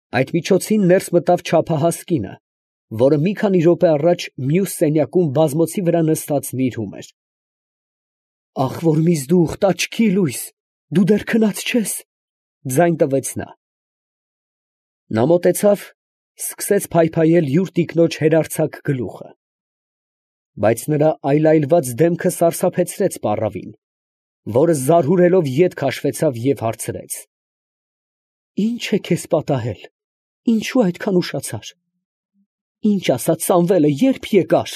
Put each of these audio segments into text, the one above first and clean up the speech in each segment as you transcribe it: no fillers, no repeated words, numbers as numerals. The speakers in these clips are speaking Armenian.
Այդ միջոցին ներս մտավ չափահաս կինը, որը մի քանի րոպե առաջ մյուս սենյակում բազմոցի վրա նստած նիրհում էր։ «Ախ, որ միզդուխտ, աչքի լույս, դու դեռ քնած չես», ֊ ձայն տվեց նա։ Նա մոտեցավ, սկսեց փայփայել յուր տիկնոջ հերարձակ գլուխը, բայց նրա այլայլված դեմքը սարսափեցրեց պառավին, որը զարհուրելով ետ քաշվեցավ և հարցրեց. «Ի՞նչ է քեզ պատահել, ինչո՞ւ այդքան ուշացար, ի՞նչ ասաց Սամվելը, ե՞րբ եկար»։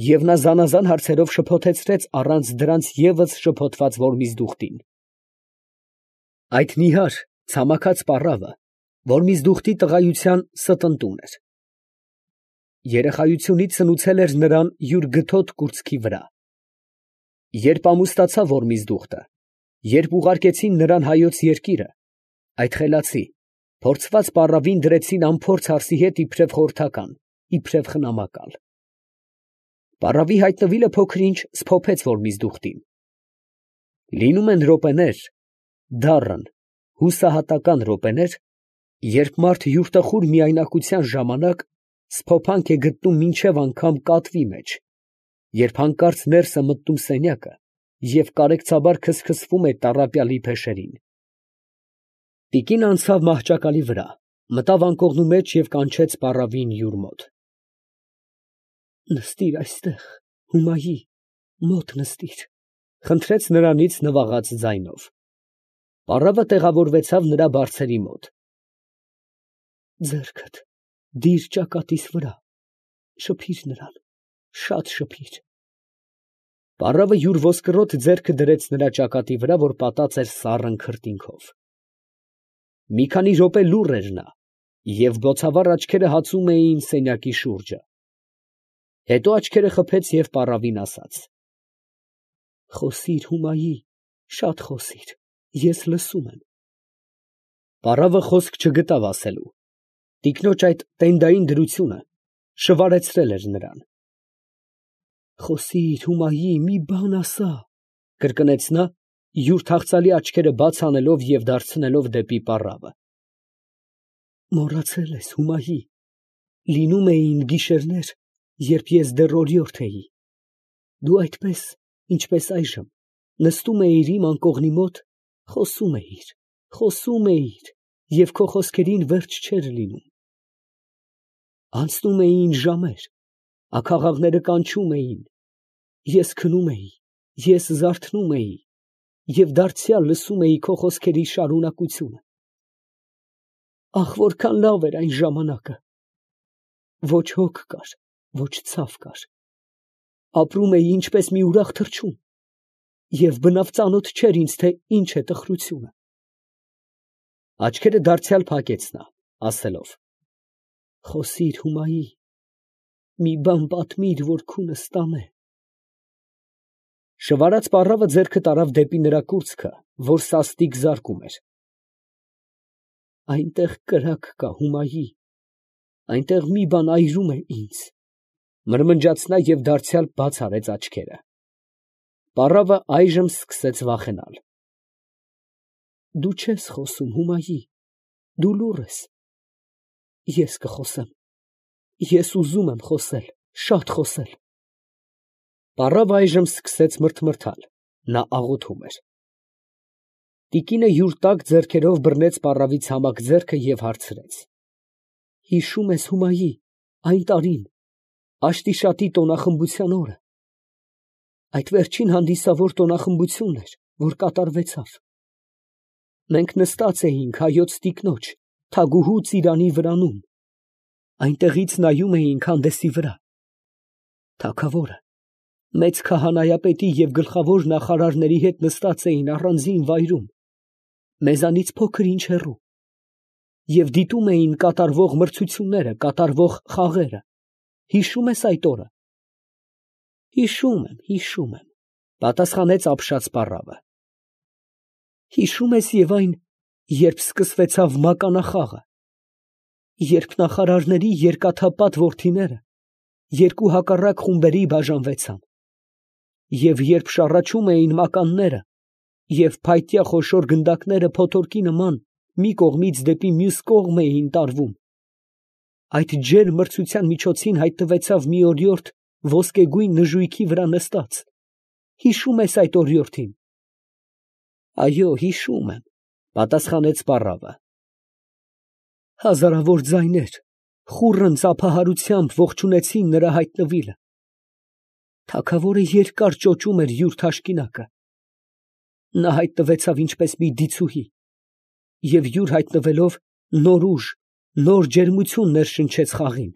Եվ նա զանազան հարցերով շփոթեցրեց առանց դրանց ևս շփոթված Որմիզդուխտին։ Այդ նիհար, ցամաքած պառավը Որմիզդուխտի տղայության ստընտուն էր։ Երեխայությունից սնուցել էր նրան յուր գթոտ կուրծքի վրա։ Երբ ամուսնացավ Որմիզդուխտը, երբ ուղարկեցին նրան հայոց երկիրը, այդ խելացի, փորձված պառավին դրեցին անփորձ հարսի հետ իբրև խորհրդական, իբրև խնամակալ։ Պառավի հայտնվելը փոքր-ինչ սփոփեց Որմիզդուխտին։ Լինում են րոպեներ, դառն, հուսահատական րոպեներ, երբ մարդ յուրտխուր միայնակության ժամանակ սփոփանք է գտնում մինչև անգամ կատվի մեջ, երբ հանկարծ ներս է մտնում սենյակը և կարեկցաբար քսքսվում է տառապյալի փեշերին։ Տիկին անցավ մահճակալի վրա, մտավ անկողնու մեջ և կանչեց պառավին յուր մոտ։ «Նստիր այստեղ, Հումայի, մոտ նստիր», ֊ խնդրեց նրանից նվաղած ձայնով։ Պառավը տեղավորվեցավ նրա բարձերի մոտ։ «Ձեռքդ դիր ճակատիս վրա, շփիր նրան, շատ շփիր»։ Պառավը յուր ոսկրոտ ձեռքը դրեց նրա ճակատի վրա, որ պատած էր սառն քրտինքով։ Մի քանի րոպե լուռ էր նա, և բոցավառ աչքերը հացում էին սենյակի շուրջը։ Հետո աչքերը խփեց և պառավին ասաց. «Խոսիր, Հումայի, շատ խոսիր, ես լսում եմ»։ Պառավը խոսք չգտավ ասելու։ Տիկնոջ այդ տենդային դրությունը շվարեցրել էր նրան։ «Խոսիր, Հումայի, մի բան ասա», ֊ կրկնեց նա, յուր թախծալի աչքերը բաց անելով և դարձնելով դեպի պառավը։ «Մոռացել ես, Հումայի, լինում էին գիշերներ, երբ ես դեռ օրիորդ էի, դու այդպես, ինչպես այժմ, նստում էիր իմ անկողնի մոտ, խոսում էիր, և քո խոսքերին վերջ չէր լինում։ Անցնում էին ժամեր, աքաղաղները կանչում էին, ես քնում էի, ես զարթնում էի և դարձյալ լսում էի քո խոսքերի շարունակությունը։ Ախ, որքան լավ էր այն ժամանակը, ոչ հոգ կար, ոչ ցավ կար, ապրում էի ինչպես մի ուրախ թռչուն, և բնավ ծանոթ չէր ինձ, թե ինչ է տխրությունը»։ Աչքերը դարձյալ փակեց նա, ասելով. «Խոսիր, Հումայի, մի բան պատմիր, որ քունս տանե»։ Շվարած պառավը ձեռքը տարավ դեպի նրա կուրծքը, որ սաստիկ զարկում էր։ «Այնտեղ կրակ կա, Հումայի, այնտեղ մի բան այրում է ինձ», ֊ մրմնջաց նա և դարձյալ բաց արեց աչքերը։ Պառավը այժմ սկսեց վախենալ։ «Դու չես խոսում, Հումայի, դու լուռ ես։ Ես կխոսեմ, ես ուզում եմ խոսել, շատ խոսել»։ Պառավը այժմ սկսեց մրթմրթալ, նա աղոթում էր։ Տիկինը յուր տաք ձեռքերով բռնեց պառավի ցամաք ձեռքը և հարցրեց. «Հիշո՞ւմ ես, Հումայի, այն տարին, Աշտիշատի տոնախմբության օրը, այդ վերջին հանդիսավոր տոնախմբությունն էր, որ կատարվեցավ։ Մենք նստած էինք հայոց տիկնոջ, թագուհու ծիրանի վրանում, այնտեղից նայում էինք հանդեսի վրա։ Թագավորը մեծ քահանայապետի և գլխավոր նախարարների հետ նստած էին առանձին վայրում, մեզանից փոքր-ինչ հեռու, և դիտում էին կատարվող մրցությունները, կատարվող խաղերը։ Հիշո՞ւմ ես այդ օրը»։ Հիշում եմ, ֊ պատասխանեց ապշած պառավը։ «Հիշո՞ւմ ես և այն, երբ սկսվեցավ մականախաղը, երբ նախարարների երկաթապատ որդիները երկու հակառակ խումբերի բաժանվեցան, և երբ շառաչում էին մականները, և փայտյա խոշոր գնդակները փոթորկի նման մի կողմից դեպի մյուս կողմ էին տարվում։ Այդ ջերմ մրցության միջոցին հայտնվեցավ մի օրիորդ ոսկեգույն նժույգի վրա նստած։ Հիշո՞ւմ ես այդ օրիորդին։ Այո, հիշում եմ, պատասխանեց պառավը։ Հազարավոր ձայներ խուռն ծափահարությամբ ողջունեցին նրա հայտնվելը։ Թագավորը երկար ճոճում էր յուր թաշկինակը։ Նա հայտնվեցավ ինչպես մի դիցուհի, և յուր հայտնվելով նոր ուժ, նոր ջերմություն ներշնչեց խաղին։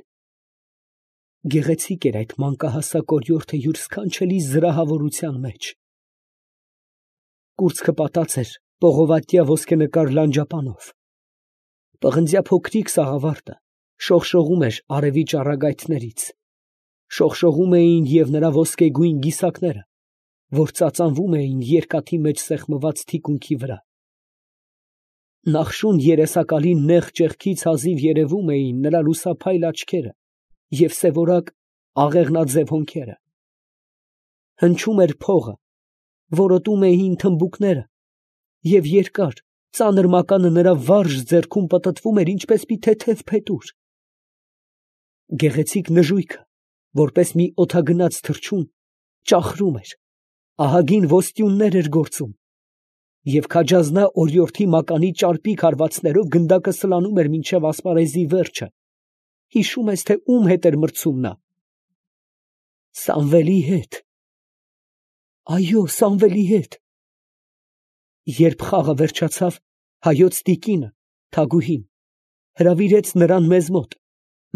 Գեղեցիկ էր այդ մանկահասակ օրիորդը յուր սքանչելի զրահավորության մեջ։ Կուրծքը պատած էր պողովատյա ոսկենկար լանջապանով։ Պղնձյա փոքրիկ սաղավարտը շողշողում էր արևի ճառագայթներից, շողշողում էին և նրա ոսկեգույն գիսակները, որ ծածանվում էին երկաթի մեջ սեղմված թիկունքի վրա։ Նախշուն երեսակալի նեղ ճեղքից հազիվ երևում էին նրա լուսափայլ աչքերը և սևորակ աղեղնաձև հոնքերը։ Հնչում էր փողը, որոտում էին թմբուկները, և երկար, ծանր մականը նրա վարժ ձեռքում պտտվում էր ինչպես մի թեթև փետուր։ Գեղեցիկ նժույգը, որպես մի օդագնաց թռչուն, ճախրում էր, ահագին ոստյուններ էր գործում, և քաջազնա օրիորդի մականի ճարպիկ հարվածներով գնդակը սլանում էր մինչև ասպարեզի վերջը։ Հիշում ես, թե ում հետ էր մրցում նա։ Սամվելի հետ։ Այո, Սամվելի հետ։ Երբ խաղը վերջացավ, հայոց տիկինը, Թագուհին, հրավիրեց նրան մեզ մոտ,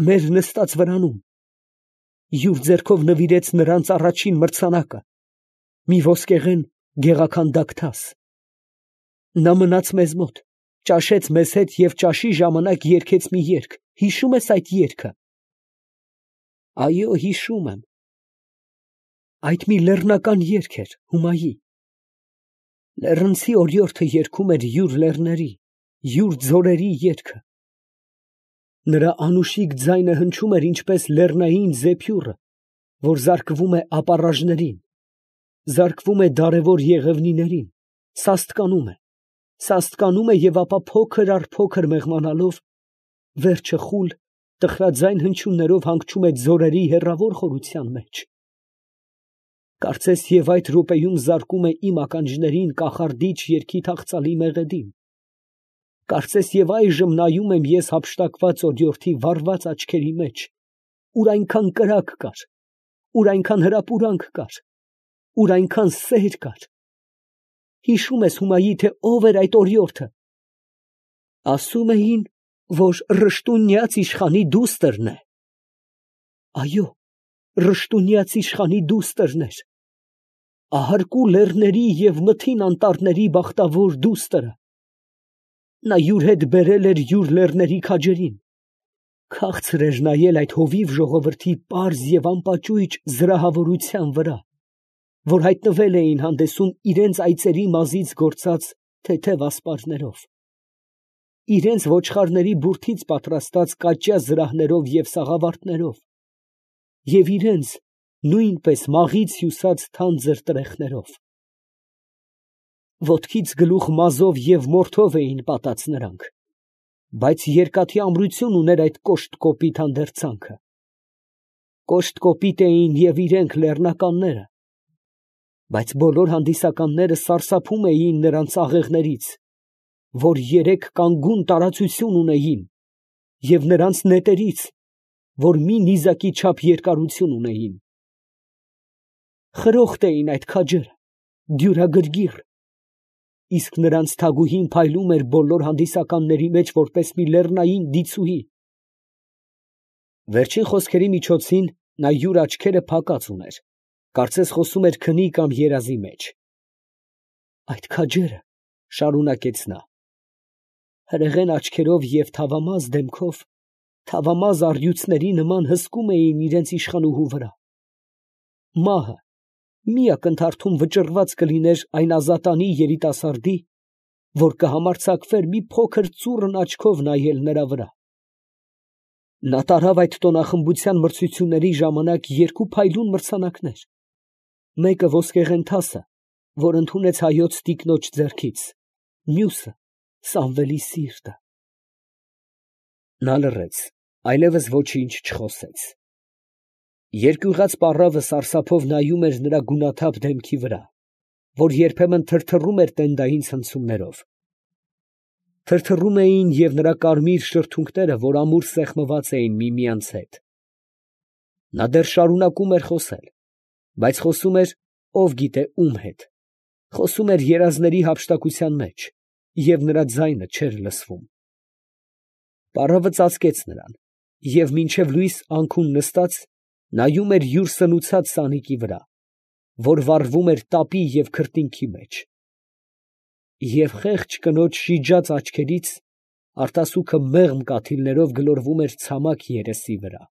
մեր նստած վրանում, յուր ձեռքով նվիրեց նրանց առաջին մրցանակը, մի ոսկեղեն գեղաքանդակ թաս։ Նա մնաց մեզ մոտ, ճաշեց մեզ հետ և ճաշի ժամանակ երգեց մի երգ։ Հիշում ես այդ երգը։ Այո, հիշում եմ։ Այդ մի լեռնական երգ էր, Հումայի։ Լեռնցի օրիորդը երգում էր յուր լեռների, յուր ձորերի երգը։ Նրա անուշիկ ձայնը հնչում էր ինչպես լեռնային զեփյուռը, որ զարկվում է ապառաժներին, զարկվում է դարևոր եղևնիներին, սաստկանում է և ապա փոքր առ փոքր մեղմանալով, վերջը խուլ, տխրաձայն հնչյուններով հանգչում է ձորերի հեռավոր խորության մեջ։ Կարծես և այդ րոպեում զարկում է իմ ականջներին կախարդիչ երգի թախծալի մեղեդին։ Կարծես և այժմ նայում եմ ես հափշտակված օրիորդի վառված աչքերի մեջ, ուր այնքան կրակ կար, ուր այնքան հրապուրանք կար, ուր այնքան սեր կար։ Հիշում ես, Հումայի, թե ով էր այդ օրիորդը։ Ասում էին, որ Ռշտունյաց իշխանի դուստրն է։ Այո, Ռշտունյաց իշխանի դուստրն էր, ահարկու լեռների և մթին անտառների բախտավոր դուստրը։ Նա յուր հետ բերել էր յուր լեռների քաջերին, քաղցր էր նայել այդ հովիվ ժողովրդի պարզ և անպաճույճ զրահավորության վրա, որ հայտնվել էին հանդեսում իրենց այծերի մազից գործած թեթև ասպարներով, իրենց ոչխարների բուրդից պատրաստած կաճյա զրահներով և սաղավարտներով, և իրենց նույնպես մաղից հյուսած թանձր տրեխներով։ Ոտքից գլուխ մազով և մորթով էին պատած նրանք, բայց երկաթի ամրություն ուներ այդ կոշտ կոպիտ հանդերձանքը։ Կոշտ կոպիտ էին և իրենք լեռնականները, բայց բոլոր հանդիսականները սարսափում էին նրանց աղեղներից, որ երեք կանգուն տարածություն ունեին, և նրանց նետերից, որ մի նիզակի չափ երկարություն ունեին։ Խրոխտ էին այդ քաջերը, դյուրագրգիռ, իսկ նրանց Թագուհին փայլում էր բոլոր հանդիսականների մեջ որպես մի լեռնային դիցուհի։ Վերջին խոսքերի միջոցին նա յուր աչքերը փակած ուներ, կարծես խոսում էր քնի կամ երազի մեջ։ Այդ քաջերը, շարունակեց նա, հրեղեն աչքերով և թավամաս դեմքով, թավամաս առյուծների նման հսկում էին իրենց իշխանուհու վրա։ Մահը մի ակնթարթում վճռված կլիներ այն ազատանի երիտասարդի, որ կհամարձակվեր մի փոքր ծուռն աչքով նայել նրա վրա։ Նա տարավ այդ տոնախմբության մրցությունների ժամանակ երկու փայլուն մրցանակներ, մեկը ոսկեղեն թասը, որ ընդունեց հայոց տիկնոջ ձեռքից, մյուսը Սամվելի սիրտը։ Նա լռեց, այլևս ոչինչ չխոսեց։ Երկյուղած պառավը սարսափով նայում էր նրա գունաթափ դեմքի վրա, որ երբեմն թրթռում էր տենդային ցնցումներով. թրթռում էին և նրա կարմիր շրթունքները, որ ամուր սեղմված էին միմյանց հետ։ Նա դեռ շարունակում էր խոսել, բայց խոսում էր ով գիտե ում հետ, խոսում էր երազների հափշտակության մեջ, և նրա ձայնը չէր լսվում։ Պառավը ծածկեց նրան, և մինչև լույս անքուն նստած, նայում էր յուր սնուցած սանիկի վրա, որ վառվում էր տապի և քրտինքի մեջ։ Եվ խեղճ կնոջ շիջած աչքերից արտասուքը մեղմ կաթիլներով գլորվում էր ցամաք երեսի վրա։